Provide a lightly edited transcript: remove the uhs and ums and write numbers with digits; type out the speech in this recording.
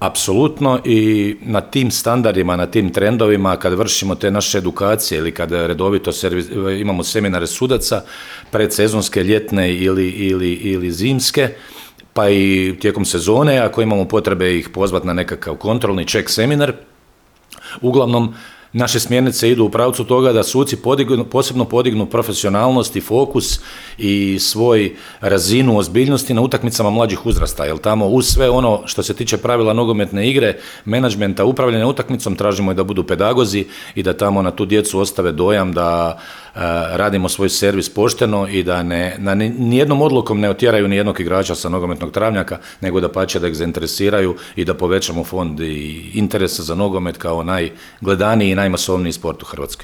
Apsolutno, i na tim standardima, na tim trendovima, kad vršimo te naše edukacije ili kad redovito imamo seminare sudaca, predsezonske, ljetne ili zimske, pa i tijekom sezone, ako imamo potrebe ih pozvati na nekakav kontrolni check seminar, uglavnom naše smjernice idu u pravcu toga da suci posebno podignu profesionalnost i fokus i svoj razinu ozbiljnosti na utakmicama mlađih uzrasta, jer tamo uz sve ono što se tiče pravila nogometne igre, menadžmenta, upravljanja utakmicom, tražimo i da budu pedagozi i da tamo na tu djecu ostave dojam da radimo svoj servis pošteno i da nijednom odlukom ne otjeraju nijednog igrača sa nogometnog travnjaka, nego da pače da ih zainteresiraju i da povećamo fond i interesa za nogomet kao najgledaniji i najmasovniji sport u Hrvatskoj.